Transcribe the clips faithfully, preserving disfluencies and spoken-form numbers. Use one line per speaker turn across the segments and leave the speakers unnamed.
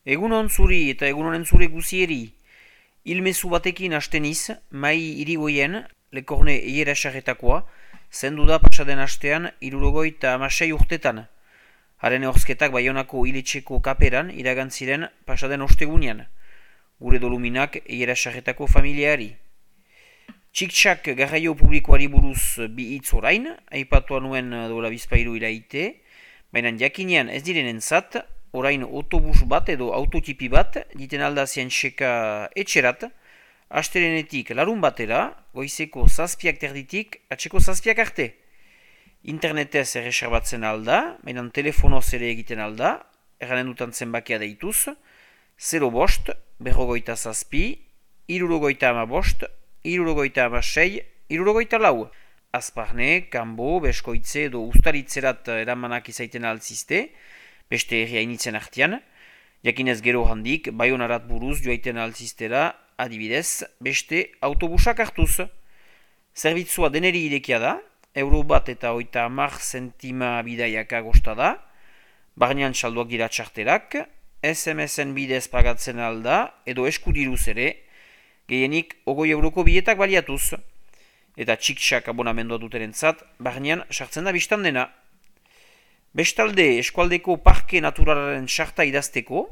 Egunon zuri eta egunonen zure guzieri. Ilmezu batekin asteniz, mai irigoien, lekorne eiera sarretakoa, zendu da pasaden astean irurogoi eta amasei urtetan. Haren horzketak Baionako iletxeko kaperan iragantziren pasaden ostegunean. Gure doluminak eiera sarretako familiari. Txik-txak garraio publikoari buruz bi hitz orain, aipatua nuen dola bizpairu iraite, baina jakinean ez direnentzat, orain autobus bat edo autotipi bat diten aldazien seka etxerat, astelenetik larun batera, goizeko zazpiak terditik, atxeko zazpiak arte. Internetez erreserbatzen alda, baina telefonoz ere egiten alda, erranen dutan zenbakia deituz, zero bost, berrogoita zazpi, irurogoita ama bost, irurogoita ama sei, irurogoita lau. Azparne, kanbo, beskoitze edo ustaritzerat eramanak izaiten altzizte, beste herria initzen artean, jakinez gero handik, Baionarat buruz joaiten altziztera, adibidez, beste autobusak hartuz. Zerbitzua deneri irekia da, euro bat eta oita hamar zentima bidaiaka gosta da, barnean salduak dira txarterak, S M S-en bidez pagatzen alda, edo eskudiruz ere, gehienik ogoi euroko bietak baliatuz, eta txik-txak abonamendua duterentzat, barnean sartzen da biztan dena. Bestalde, eskualdeko parke naturalaren sarta idazteko,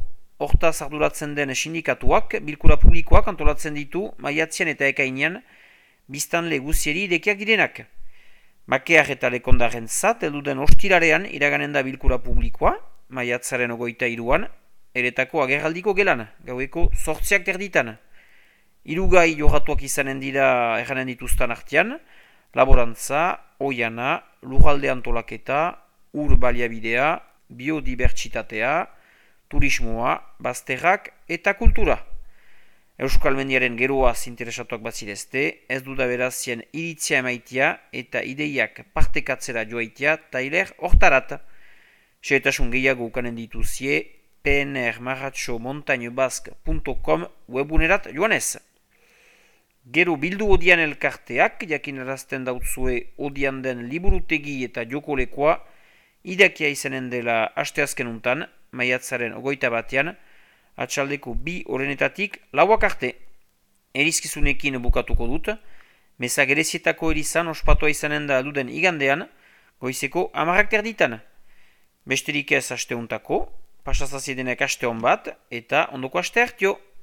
hortaz arduratzen den sindikatuak, bilkura publikoak antolatzen ditu, maiatzean eta ekainean, biztanle guzieri idekiak direnak. Makear eta lekondaren zat, elduden ostirarean iraganen da bilkura publikoa, maiatzaren ogoita iruan, eretako agerraldiko gelan, gaueko sortziak terditan. Hirugai johatuak izanen dira erranen dituztan artean, laborantza, oiana, lurralde antolaketa, ur baliabidea, biodibertsitatea, turismoa, bazterrak eta kultura. Euskal Mendiaren geroaz interesatuak batzirezte, ez duda berazien iritzia emaitia eta ideiak partekatzera joaitia tailer hortarat. Xehetasun gehiago ukanen dituzie p n r marratxo montagne basque punto com webunerat joanez. Gero bildu odian elkarteak, jakinarazten dautzue odian den liburutegi eta jokolekoa, idakia izanen dela asteazken untan, maiatzaren ogoita batean, atxaldeko bi orenetatik lauak arte. Erizkizunekin bukatuko dut, meza gerezietako erizan ospatua izanen da duden igandean, goizeko amarrak terditan. Besterik ez asteuntako, pasazaziedenek aste hon bat, eta ondoko aste hartio.